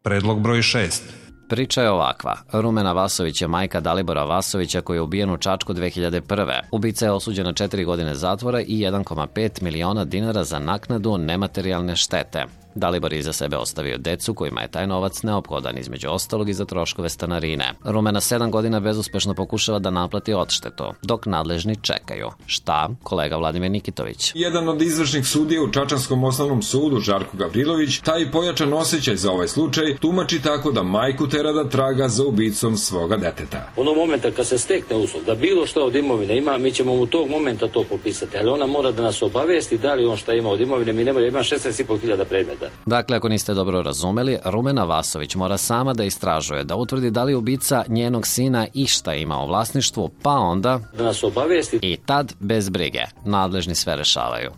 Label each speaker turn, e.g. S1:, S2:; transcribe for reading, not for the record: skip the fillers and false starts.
S1: Predlog broj 6.
S2: Priča je ovakva. Rumena Vasović je majka Dalibora Vasovića koji je ubijen u Čačku 2001. Ubica je osuđen na 4 godine zatvora i 1,5 miliona dinara za naknadu nematerijalne štete. Dalibor je iza sebe ostavio decu kojima je taj novac neophodan, između ostalog i za troškove stanarine. Rumena 7 godina bezuspešno pokušava da naplati odštetu, dok nadležni čekaju. Šta? Kolega Vladimir Nikitović.
S3: Jedan od izvršnih sudija u Čačanskom osnovnom sudu, Žarko Gavrilović, taj pojačan osjećaj za ovaj slučaj tumači tako da majku tera da traga za ubicom svoga deteta.
S4: Onog momenta kad se stekne uslov da bilo što od imovine ima, mi ćemo mu tog momenta to popisati, ali ona mora da nas obavesti da li on šta ima od imovine, mi nemamo, ima 16.500 predmeta.
S2: Dakle, ako niste dobro razumeli, Rumena Vasović mora sama da istražuje, da utvrdi da li ubica njenog sina išta ima u vlasništvu, pa onda
S4: da nas obavesti
S2: i tad bez brige nadležni sve rešavaju.